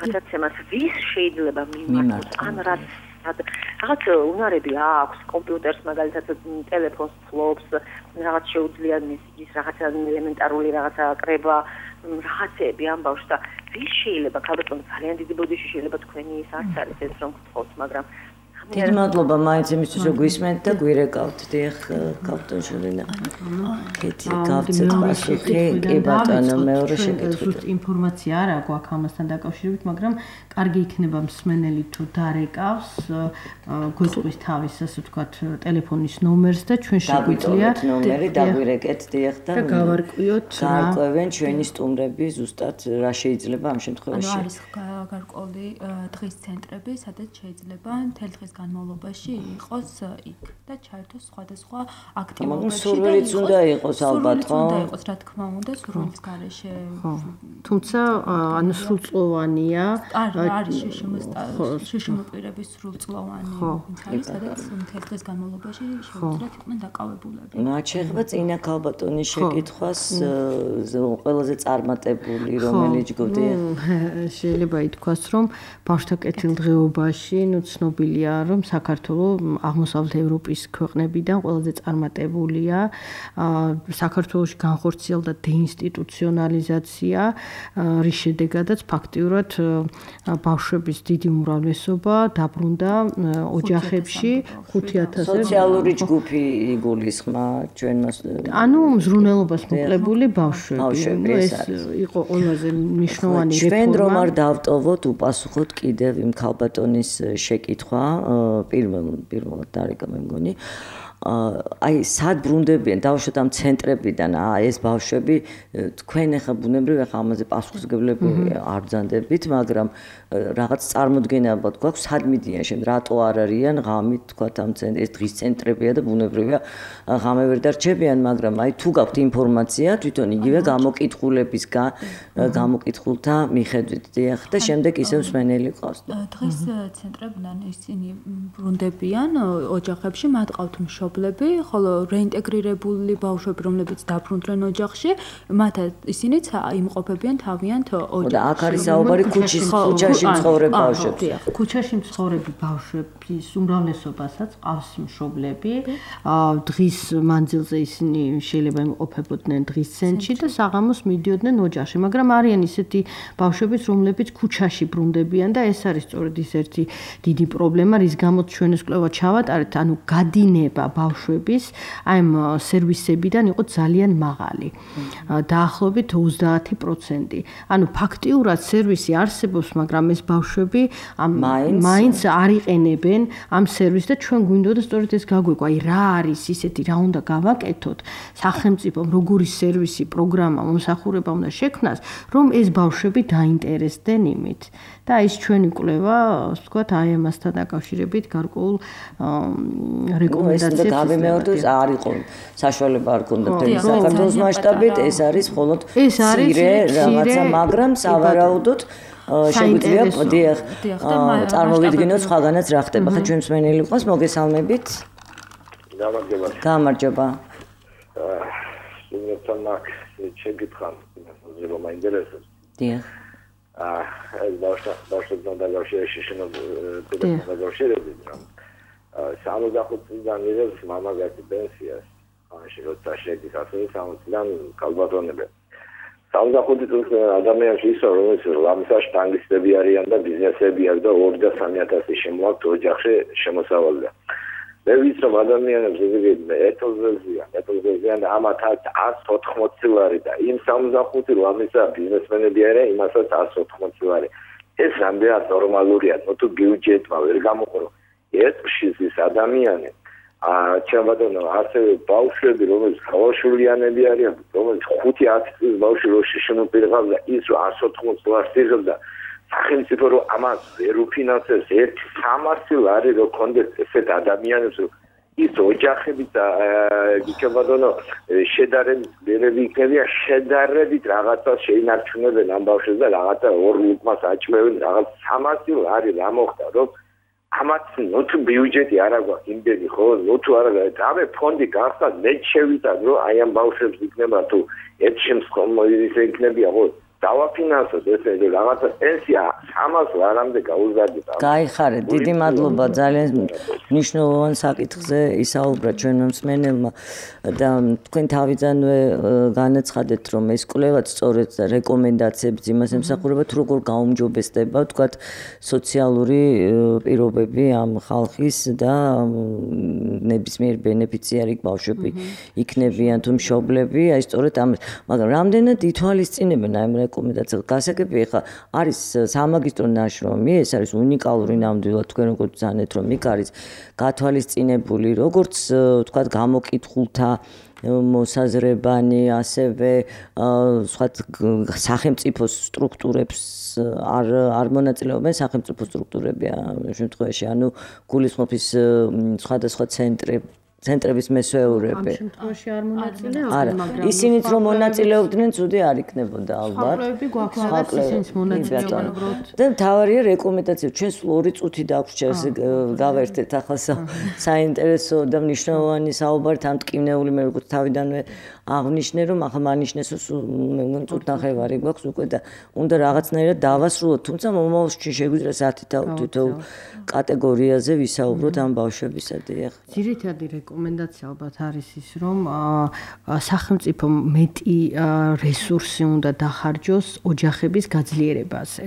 გადაცემას ვის შეიძლება მიმართოს ან რაც რაღაც უნარები აქვს კომპიუტერს მაგალითად ტელეფონს ფლობს რაღაც შეუძლია მისის რაღაცა ელემენტარული რაღაცა კრება რაღაცები ამ ბავშვს და ვის შეიძლება ქალბატონი ძალიან დიდი ბოდიში შეიძლება თქვენი ის არც არის ეს რომ გთხოვთ მაგრამ დიდი მადლობა მაინც იმისთვის რომ გვისმენთ და გვირეკავთ დიახ ქალბატონ შოლინა კეთი გავცეთ პასუხი კი ბატონო მეორე შეკითხვა ზუსტ ინფორმაცია არ აქვს აქ ამასთან დაკავშირებით მაგრამ კარგი იქნება მსმენელი თუ დარეკავს გვეტყვის თავის ასე ვთქვათ ტელეფონის ნომერს და ჩვენ შეგვიძლია ნომერი დაგვირეკეთ დიახ და გავარკვიოთ რა გარკვევენ ჩვენი სტუმრები ზუსტად რა შეიძლება ამ შემთხვევაში ანუ არის გარკვეული დღის ცენტრები სადაც შეიძლება მთელი დღის განმავლობაში იყოს იქ და ჩაერთოს სხვადასხვა აქტივობებში. სურვილიც უნდა იყოს ალბათ, ხო? უნდა იყოს, რა თქმა უნდა, სურვილის გარეშე. თუმცა ანუ სრულწლოვანია. არის შეშმოპირების სრულწლოვანი. სადაც მთელი დღის განმავლობაში შეუძლიათ იყვნენ დაკავებულები. მათ შეეხება წინა ქალბატონის შეკითხვას ყველაზე წარმატებული რომელი ჯგუფი? შეიძლება ითქვას, რომ ბავშვთა კეთილდღეობაში ნუ ცნობილია რომ საქართველოს აღმოსავლეთ ევროპის ქვეყნებიდან ყველაზე წარმატებულია. საქართველოში განხორციელდა დეინსტიტუციონალიზაცია, რის შედეგადაც ფაქტიურად ბავშვების დიდი უმრავლესობა დაბრუნდა ოჯახებში ხუთი ათასზე. სოციალური ჯგუფი იგულისხმა ჩვენს ანუ მზრუნველობას მოკლებული ბავშვები. ეს იყო ყველაზე მნიშვნელოვანი რეფორმა. ჩვენ რომ არ დავტოვოთ, უპასუხოთ კიდევ იმ ქალბატონის შეკითხვა პირველ პირველად დარეკა მე მგონი აი სად ბრუნდებიან დავუშვათ ამ ცენტრებიდან ეს ბავშვები თქვენ ახლა ბუნებრივია ხა ამაზე პასუხისმგებლები არ ბრძანდებით მაგრამ რაღაც წარმოდგენა ალბათ გვაქვს სად მიდიან შემდეგ რატო არ არიან ღამით თქვა ამ ცენტრ ეს დღის ცენტრებია და ბუნებრივია ღამე ვერ დარჩებიან მაგრამ აი თუ გაქვთ ინფორმაცია თვითონ იგივე გამოკითხულებისგან გამოკითხულთა მიხედვით დიახ და შემდეგ ისევ მსმენელი ყავს დღის ცენტრებიდან ისინი ბრუნდებიან ოჯახებში მათ ყავთ მშობლები ხოლო რეინტეგრირებული ბავშვები რომლებიც დაბრუნდნენ ოჯახში მათ ისინიც იმყოფებიან თავიანთ ოჯახში და აქ არის საუბარი ქუჩის ქუჩაში მცხოვრები ბავშვები ქუჩაში მცხოვრები ბავშვების უმრავლესობასაც ყავს მშობლები დღის მანძილზე ისინი შეიძლება იმყოფებოდნენ დღის ცენტრში და საღამოს მიდიოდნენ ოჯახში მაგრამ არიან ისეთი ბავშვებიც რომლებიც ქუჩაში ბრუნდებიან და ეს არის სწორედ ის ერთი დიდი პრობლემა რის გამოც ჩვენ ეს კვლევა ჩავატარეთ ანუ გადინება ბავშვების აი ამ სერვისებიდან იყო ძალიან მაღალი დაახლოებით ოცდაათი პროცენტი ანუ ფაქტიურად სერვისი არსებობს მაგრამ ეს ბავშვები მაინც არ იყენებენ ამ სერვისს და ჩვენ გვინდოდა სწორედ ეს გაგვეკვა აი რა არის ისეთი რა უნდა გავაკეთოთ სახელმწიფომ როგორი სერვისი პროგრამა მომსახურება უნდა შექმნას რომ ეს ბავშვები დაინტერესდნენ იმით და ის ჩვენი კვლევა ასე ვთქვათ აი ამასთან დაკავშირებით გარკვეულ რეკომენდაციებს გამემეორდეს არ იყო საშუალება არ ქონდა საქართველოს მასშტაბით ეს არის მხოლოდ მცირე რაღაცა მაგრამ სავარაუდოდ შეგვიძლია დიახ წარმოვიდგინოთ სხვაგანაც რა ხდება ხა ჩვენ მსმენელი ყავს მოგესალმებით გამარჯობა გამარჯობა სულ მაგ შეგითხარ რომ მაინტერესებს დიახ აა ეს ბავშვი ბავშვთან დაგავშირებული შენობა დაგავშირებული რომ სამოცდახუთ წლიდან იღებს მამაკაცი პენსიას ამაში როცა შეგიძლიათ სამოცდან კალბატონები სამოცდახუთი წლის ადამიანში ისო რომ ეს ლამსა შტანგისტები არიან და ბიზნესები აქვს და ორი და სამი ათასი შემოაქვთ ოჯახში შემოსავალია მე ვიცნობ ადამიანებს ზოგადად ეთოზეზიან ეთოზეზიან და ამათაც ათს ოთხმოცი ლარი და იმ სამოცდახუთი ლამისა ბიზნესმენები არიან იმასაც ათს ოთხმოცი ლარი ეს რამდენად ნორმალურია თუ ბიუჯეტმა ვერ გამოყრო ერთში ის ადამიანი აა ჩემბადონო ასევე ბავშვები რომელიც ხალხშულიანები არიან რომელიც ხუთი ათი წლის ბავშვი რო შეშმოპირღავ და ის რო ათს ოთხმოცი ლარს იღებდა სახელმწიფო რო ამას ვერ უფინანსებს ერთ სამასი ლარი რო კონდეს ესეთ ადამიანებს რო ის ოჯახები და გიჩვენებადონო შედარებით მერები იქნებია შედარებით რაღაცა შეინარჩუნებენ ამ ბავშვებს და რაღაცა ორ ლუკმას აჭმევენ რაღაც სამასი ლარი რა მოხდა რომ ამათ ნოთუ ბიუჯეტი არ აქვს იმდენი ხო ნოთუ არ აქვს ამე ფონდი გახსნა მე შევიტან რომ აი ამ ბავშვებს იქნება თუ ერთ შემთხვევაში ისე იქნებია ხო დავაფინანსოთ ესე რაღაცა პენსია სამას ლარამდე გაუზარდეთ. გაიხარეთ, დიდი მადლობა ძალიან მნიშვნელოვან საკითხზე ისაუბრა ჩვენმა მსმენელმა და თქვენ თავიდანვე განაცხადეთ რომ ეს კვლევაც სწორედ რეკომენდაციებს იმას ემსახურება თუ როგორ გაუმჯობესდება თქვათ სოციალური პირობები ამ ხალხის და ნებისმიერ ბენეფიციარი ბავშვები იქნებიან თუ მშობლები აი სწორედ ამ მაგრამ რამდენად ითვალისწინებენ აი რეკომენდაციას გასაგებია ხა არის სამაგისტრო ნაშრომი ეს არის უნიკალური ნამდვილად თქვენ როგორც ძანეთ რომ იქ არის გათვალისწინებული როგორც თქვათ გამოკითხულთა მოსაზრებანი ასევე სხვა სახელმწიფო სტრუქტურებს არ არ მონაწილეობენ სახელმწიფო სტრუქტურები ამ შემთხვევაში ანუ გულისხმობის სხვადასხვა ცენტრები ცენტრების მესვეურები. ამ შემთხვევაში არ მონაწილეობენ, მაგრამ ისინიც რომ მონაწილეობდნენ, ცუდი არ იქნებოდა ალბათ. სხვაკლები გვაქვს, ისინიც მონაწილეობენ. და თავარია რეკომენდაცია, ჩვენ სულ ორი წუთი დაგვჭირს გავერთეთ ახლა საინტერესო და მნიშვნელოვანი საუბარი თან ტკივნეული მე როგორც თავიდანვე აღნიშნე რომ ახლა მანიშნეს რომ წუთნახევარი გვაქვს უკვე და უნდა რაღაცნაირად დავასრულოთ, თუმცა მომავალში შეგვიძლია საათი თითოეულ კატეგორიაზე ვისაუბროთ ამ ბავშვებისადმი. ძირითადი რეკომენდაცია ალბათ არის ის რომ სახელმწიფო მეტი რესურსი უნდა დახარჯოს ოჯახების გაძლიერებაზე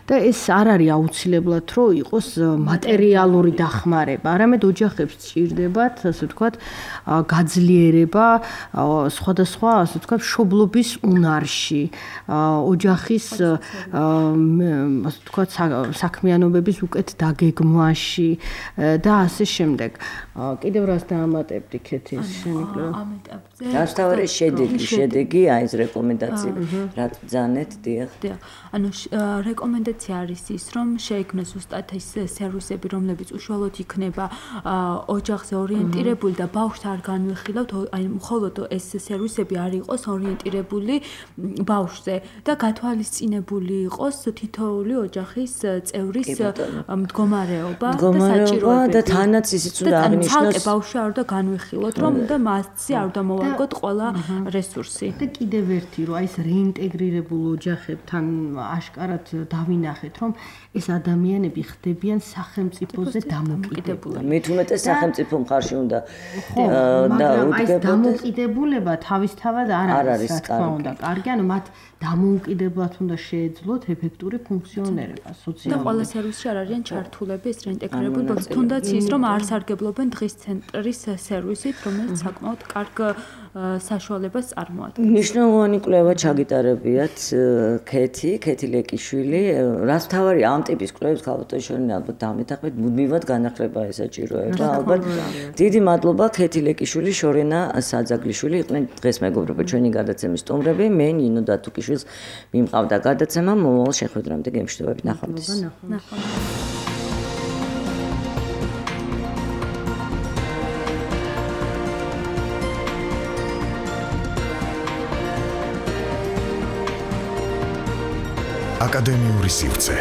და ეს არ არის აუცილებლად რომ იყოს მატერიალური დახმარება, არამედ ოჯახებს სჭირდებათ ასე ვთქვათ გაძლიერება სხვადასხვა ასე ვთქვათ მშობლობის უნარში, ოჯახის ასე ვთქვათ საქმიანობების უკეთ დაგეგმვაში და ასე შემდეგ. კიდევ რას დამატებდი ქეთის შემიკვლევა? ამ ეტაპზე დასთავარი შედეგი, შედეგი აი ეს რეკომენდაციები, რაც ბრძანეთ, დიახ. დიახ. ანუ რეკომენდაცია არის ის, რომ შეიქმნას უბრალოდ ის სერვისები, რომლებიც უშუალოდ იქნება ოჯახზე ორიენტირებული და ბავშვს არ განვიხილავთ, აი მხოლოდ ეს სერვისები არ იყოს ორიენტირებული ბავშვზე და გათვალისწინებული იყოს თითოეული ოჯახის წევრის მდგომარეობა და საჭიროებები. და თანაც ისიც უნდა აღნიშნოს და ბავშვი არ უნდა განვიხილოთ, რომ და მასზე არ უნდა მოვარგოთ ყველა რესურსი. და კიდევ ერთი, რომ აი ეს რეინტეგრირებულ ოჯახებთან აშკარად დავინახეთ, რომ ეს ადამიანები ხდებიან სახელმწიფოზე დამოკიდებული. მით უმეტეს სახელმწიფო მხარში უნდა და აი ეს დამოკიდებულება თავისთავად არ არის, რა თქმა უნდა, კარგი, ანუ მათ დამოუკიდებლად უნდა შეეძლოთ ეფექტური ფუნქციონირება სოციალურად. და ყველა სერვისში არ არიან ჩართულები ეს რეინტეგრირებული პროცესი. თუნდაც ის, რომ არ სარგებლობენ დღის ცენტრის სერვისით, რომელიც საკმაოდ კარგ საშუალებას წარმოადგენს. მნიშვნელოვანი კვლევა ჩაგიტარებიათ ქეთი, ქეთი ლეკიშვილი, რაც თავარი ამ ტიპის კვლევებს ქალბატონშორინი ალბათ დამეთახმეთ, მუდმივად განახლება ესაჭიროება, ალბათ. დიდი მადლობა ქეთი ლეკიშვილი, შორენა საძაგლიშვილი იყვნენ დღეს მეგობრებო ჩვენი გადაცემის სტუმრები. მე ნინო დათუკიშვილს მიმყავდა გადაცემა, მომავალ შეხვედრამდე გემშვიდობებით, ნახვამდის. ნახვამდის. აკადემიური სივრცე